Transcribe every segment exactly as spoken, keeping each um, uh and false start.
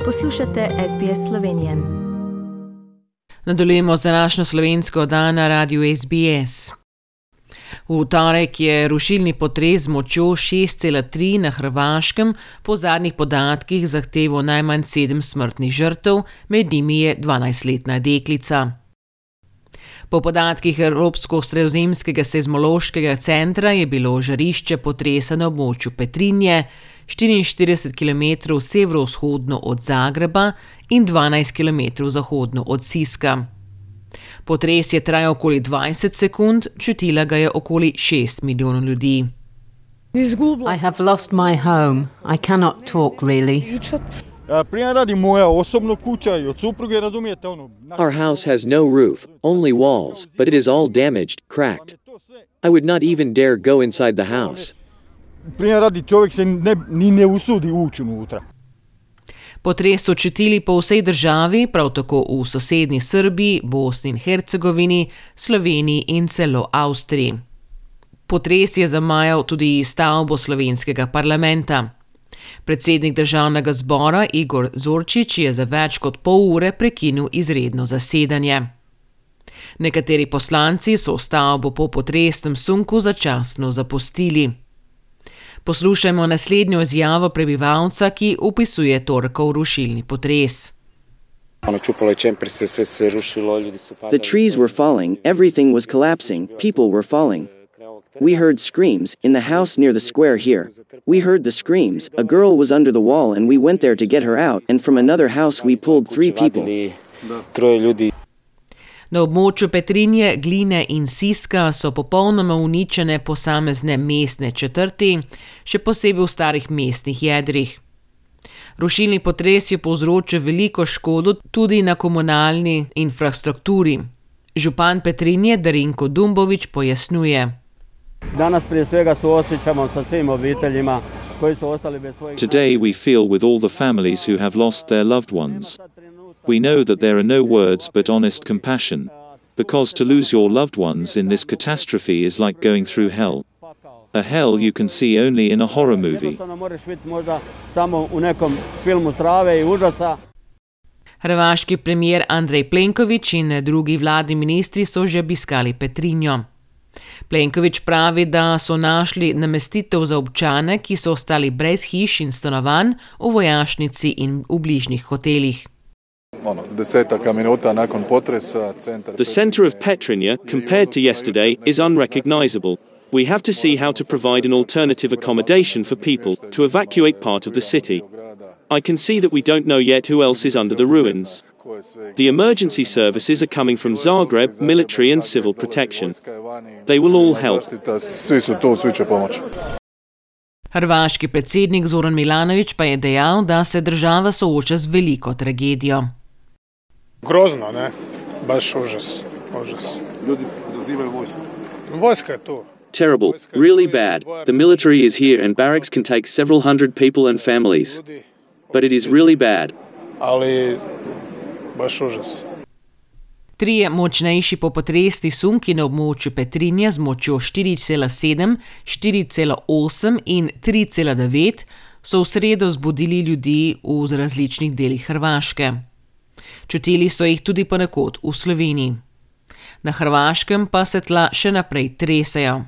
Poslušate S B S Slovenije. Nadaljujemo z današnjo slovensko oddajo na radiu S B S. V torek je rušilni potres z močjo šest cela tri na Hrvaškem po zadnjih podatkih zahteval najmanj sedem smrtnih žrtev, med njimi je dvanajstletna deklica. Po podatkih Evropsko-sredozemskega seizmološkega centra je bilo žarišče potresa na območju Petrinje, štiriinštirideset kilometrov severovzhodno od Zagreba in dvanajst kilometrov zahodno od Siska. Potres je trajal okoli dvajset sekund, čutila ga je okoli šest milijonov ljudi. I have lost my home. I cannot talk really. Our house has no roof, only walls, but it is all damaged, cracked. I would not even dare go inside the house. Potres so čutili po vsej državi, prav tako v sosednji Srbiji, Bosni in Hercegovini, Sloveniji in celo Avstriji. Potres je zamajal tudi stavbo slovenskega parlamenta. Predsednik državnega zbora Igor Zorčič je za več kot pol ure prekinil izredno zasedanje. Nekateri poslanci so stavbo po potresnem sunku začasno zapustili. Poslušajmo naslednjo izjavo prebivalca, ki opisuje torkov rušilni potres. The trees were falling, everything was collapsing, people were falling. We heard screams in the house near the square here. We heard the screams, a girl was under the wall and we went there to get her out, and from another house we pulled three people. Na območju Petrinje, Gline in Siska so popolnoma uničene posamezne mestne četrti, še posebej v starih mestnih jedrih. Rušilni potres je povzročil veliko škodo tudi na komunalni infrastrukturi. Župan Petrinje Darinko Dumbović pojasnjuje. Danas prije svega suosjećamo sa svim obiteljima koji su ostali bez svojih. Today we feel with all the families who have lost their loved ones. We know that there are no words but honest compassion, because to lose your loved ones in this catastrophe is like going through hell. A hell you can see only in a horror movie. Hrvaški premijer Andrej Plenković in drugi vladni ministri so že obiskali Petrinjo. Plenković pravi, da so našli namestitev za občane, ki so ostali brez hiš in stanovanj v vojašnici in v bližnjih hotelih. The center of Petrinja, compared to yesterday, is unrecognizable. We have to see how to provide an alternative accommodation for people to evacuate part of the city. I can see that we don't know yet who else is under the ruins. The emergency services are coming from Zagreb, military and civil protection. They will all help. Hrvaški predsednik Zoran Milanović pa je dejal, da se država sooča z veliko tragedijo. Grozno, ne? Baš užas. Užas. Ljudi zazivajo vojsko. Vojska je tu. Terrible, really bad. The military is here and barracks can take several hundred people and families. But it is really bad. Ali baš užas. Trije močnejši popotresni sunki na območju Petrinje z močjo štiri cela sedem, štiri cela osem in tri cela devet so v sredo zbudili ljudi v različnih delih Hrvaške. Čutili so jih tudi ponekod v Sloveniji. Na Hrvaškem pa se tla še naprej tresejo.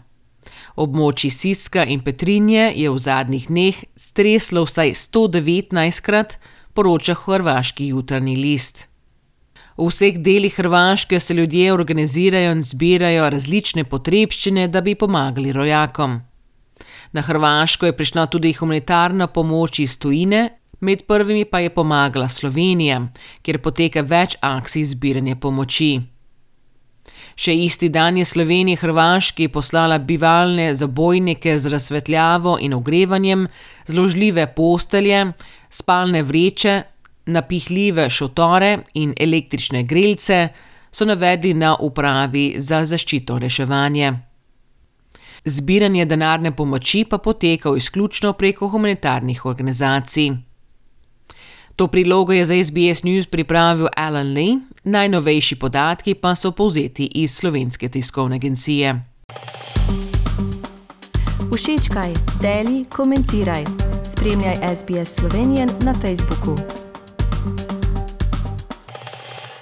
Območji Siska in Petrinje je v zadnjih dneh streslo vsaj sto devetnajstkrat, poroča hrvaški Jutarnji list. V vseh delih Hrvaške se ljudje organizirajo in zbirajo različne potrebščine, da bi pomagali rojakom. Na Hrvaško je prišla tudi humanitarna pomoč iz tujine, med prvimi pa je pomagala Slovenija, kjer poteka več akcij zbiranja pomoči. Še isti dan je Slovenija Hrvaški poslala bivalne zabojnike z razsvetljavo in ogrevanjem, zložljive postelje, spalne vreče, napihljive šotore in električne grelce, so navedli na upravi za zaščito reševanje. Zbiranje denarne pomoči pa poteka izključno preko humanitarnih organizacij. To prilogo je za S B S News pripravil Alan Lee, najnovejši podatki pa so povzeti iz Slovenske tiskovne agencije. Všečkaj, deli, komentiraj. Spremljaj S B S Slovenije na Facebooku.